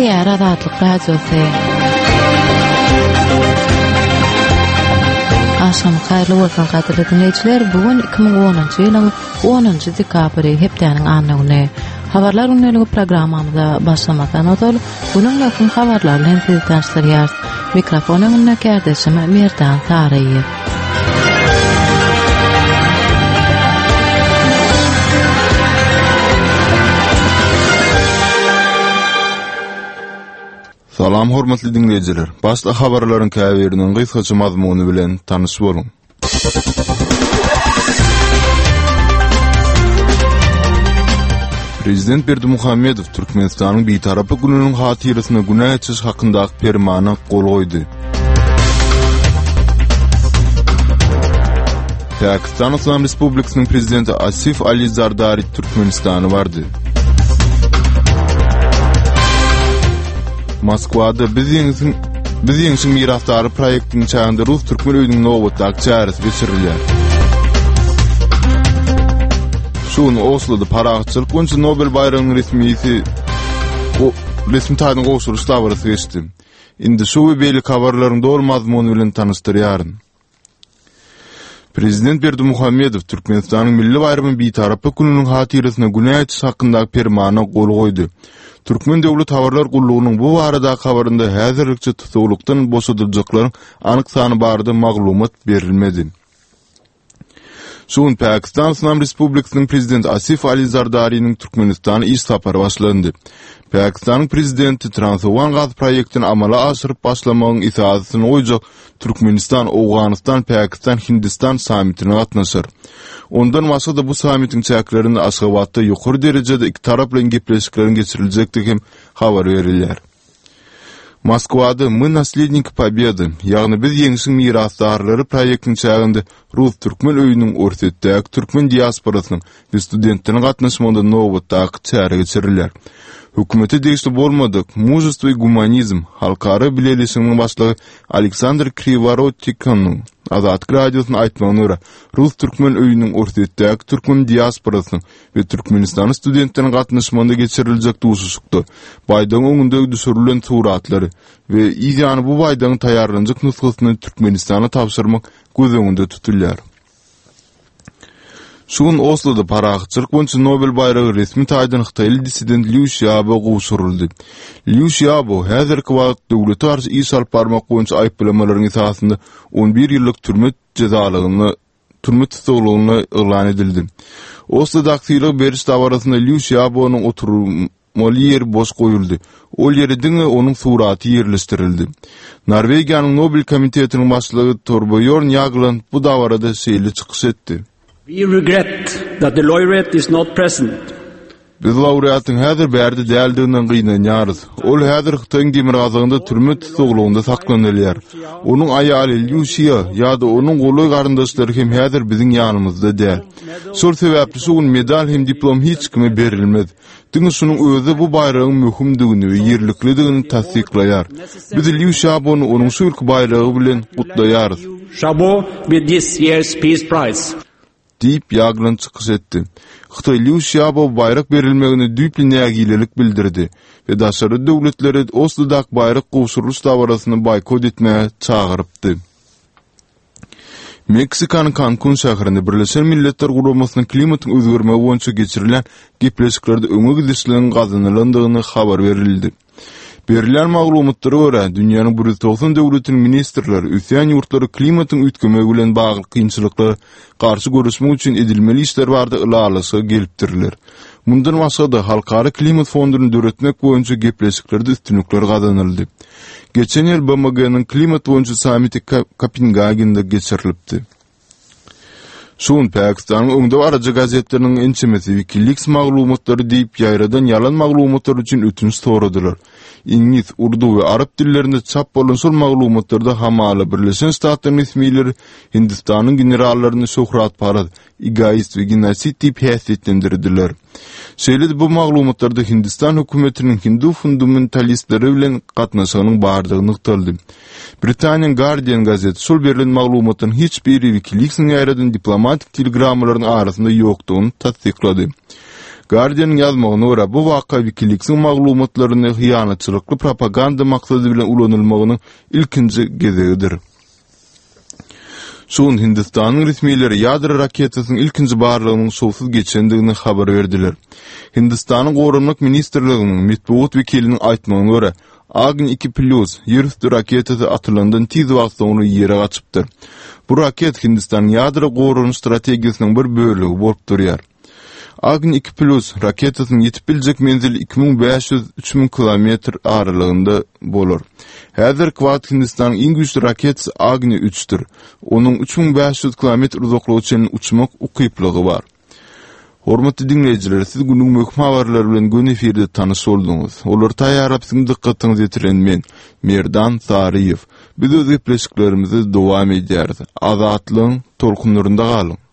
Gepleýär Azatlyk Radiosy. Agşamyňyz haýyrly bolsun gadyrly diňleýjiler. Bu gün 2010-njy ýylyň 10-njy dekabry, hepdäniň anna güni. Habarlar gündeligi programmamyza başlamazdan ozal, günüň möhüm habarlary bilen sizi tanyşdyrýarys. Mikrofon öňünde kärdeşim Merdan Saryýew. Salam hormatly diňleýjiler. Başda habarlaryň käbiriniň gysgaça mazmuny bilen tanyş boluň. Prezident Berdimuhamedow Türkmenistanyň Bitaraplyk gününiň hatyrasyna günä geçiş hakyndaky permana gol goýdy. Pakistan Yslam Respublikasynyň Prezidenti Asif Ali Zardari Türkmenistana bardy. Moskwada Biz ýeňsiň Biz ýeňşiň mirasdary proýektiniň çäginde Rus-türkmen öýüniň nobatdaky çäresi geçirilýär. Şu gün Osloda parahatçylyk boýunça Nobel baýragynyň resmisi resmi taýdan gowşurylyş dabarasy geçdi. Indi şu we beýleki habarlaryň doly mazmuny bilen tanyşdyrýaryn. Prezident Berdimuhamedow Türkmenistanyň milli baýramy Bitaraplyk gününiň hatyrasyna günä geçiş hakyndaky Permana gol goýdy. Türkmen döwlet habarlar gullugynyň bu baradaky habarynda häzirlikçe tussaglykdan boşadyljaklaryň anyk sany barada maglumat berilmedi. Şu gün Pakistan Yslam Respublikasynyň Prezidenti Asif Ali Zardariniň Türkmenistana iş sapary başlandy. Pakistanyň Prezidenti Transowgan gaz proýektini amala aşyryp başlamagyň esasyny goýjak Türkmenistan, Owganystan, Pakistan, Hindistan sammitine gatnaşar. Ondan başga-da bu sammitiň çäklerinde Aşgabatda ýokary derejede ikitaraplaýyn gepleşikleriň geçiriljekdigi hem habar berilýär. Moskwada Мы nasledniki pobedy, ýagny Biz ýeňşiň mirasdarlary proýektiniň çäginde Rus-türkmen öýüniň Orsýetdäki türkmen diasporasynyň we studentleriniň gatnaşmagynda nobatdaky çäre geçirilýär. Hökümete degişli bolmadyk Mужество i gumanizm halkara bileleşiginiň başlygy Aleksandr Kriworotikonyň Azatlyk Radiosyna aýtmagyna görä, Rus-türkmen öýüniň Orsýetdäki türkmen diasporasynyň we türkmenistanly studentleriň gatnaşmagynda geçiriljek duşuşykda baýdagyň öňünde düşürilen suratlary we yz ýany bu baýdagyň taýýarlanjak nusgasyny Türkmenistana tabşyrmak göz öňünde tutulýar. Şu gün Osloda parahatçylyk boýunça Nobel baýragy resmi taýdan hytaýly dissident Lýu Şiabo gowşuryldy. Lýu Şiabo häzirki wagt döwlete garşy iş alyp barmak boýunça aýyplamalaryň esasynda 11 ýyllyk türme jezalygyna türme tussaglygyna yglan edildi. Oslodaky sylag beriş dabarasynda Lýu Şiabonyň oturmaly ýeri boş goýuldy. Ol ýere diňe onuň suraty ýerleşdirildi. Norwegiýanyň Nobel komitetiniň başlygy Torbýorn Ýagland bu dabarada şeýle çykyş etdi. We regret that the laureate is not present. Biz laureatyň häzir bärde däldiginden gynanýarys. Ol häzir Hytaýyň demirgazygynda türme tussaglygynda saklanylýar. Onuň aýaly Lýu Şia ýa-da onuň golaý garyndaşlary hem häzir biziň ýanymyzda däl. Şol sebäpli şu gün medal hem diplom hiç kime berilmez. Diňe şunuň özi bu baýragyň möhümdigini we ýerliklidigini tassyklaýar. Biz Lýu Şabony onuň şu ýylky baýragy bilen gutlaýarys. Şabo with this year's Peace Prize. Diýip, Ýagland çykyş etdi. Hytaý Lýu Şiabo baýrak berilmegine düýpli nägilelik bildirdi we daşary döwletleri Oslodaky baýrak gowşurylyş dabarasyny boýkot etmäge çagyrypdy. Meksikanyň Kankun şäherinde Birleşen Milletler Guramasynyň klimatyň özgermegi boýunça geçirilýän gepleşiklerde öňe gidişligiň gazanylandygyny habar berildi. Berilýän maglumatlara görä, dünýäniň 190 döwletiniň ministrleri ösýän ýurtlary klimatyň üýtgemegi bilen bagly kynçylyklara garşy göreşmek üçin edilmeli işler barada ylalaşyga gelipdirler. Mundan başga-da, Halkara klimat fonduny döretmek boýunça gepleşiklerde üstünlikler gazanyldy. Geçen ýyl BMG-niň klimat boýunça sammiti Kopengagende geçirilipdi. Şu gün Pakistanyň öňdebaryjy gazetleriniň ençemesi WikiLeaks maglumatlary diýip ýaýradan ýalan maglumatlar üçin ötünç soradylar. Iňlis, urdu we arap dillerinde çap bolan şol maglumatlarda hamala Birleşen Ştatlaryň resmileri Hindistanyň generallaryny şöhratparaz, egoist we genosid diýip häsiýetlendirdiler. Şeýle-de bu maglumatlarda Hindistan hökümetiniň hindu fundamentalistleri bilen gatnaşygynyň bardygy nygtaldy. Britaniýanyň Guardian gazeti şol berlen maglumatlaryň hiç biri WikiLeaks-iň ýaýradan diplomatik telegrammalarynyň arasynda ýokdugyny tassyklady. Guardian-yň ýazmagyna görä, bu waka WikiLeaks-iň maglumatlaryny hyýanatçylykly propaganda maksady bilen ulanylmagynyň ilkinji gezegidir. Şu gün Hindistanyň resmileri ýadro raketasynyň ilkinji barlagynyň şowsuz geçendigini habar berdiler. Hindistanyň Goranmak ministrliginiň metbugat wekiliniň aýtmagyna görä, Agni iki plýus ýerüsti raketasy atylandan tiz wagt soňra ýere gaçypdyr. Bu raket Hindistanyň ýadro goranyş strategiýasynyň bir bölegi bolup durýar. Agni iki plýus raketasynyň ýetip biljek menzili 2500, 3000 kilometr aralygynda bolar. Häzirki wagt Hindistanyň iň güýçli raketasy Agni üçdür. Onuň 3500 kilometr uzaklyga çenli uçmak ukyplygy bar. Hormatly diňleýjiler, siz günüň möhüm habarlary bilen göni efirde tanyş bolduňyz. Olary taýýarlap siziň dykgatyňyza ýetiren men, Merdan Saryýew. Biz öz gepleşiklerimizi dowam edýäris. Azatlygyň tolkunlarynda galyň!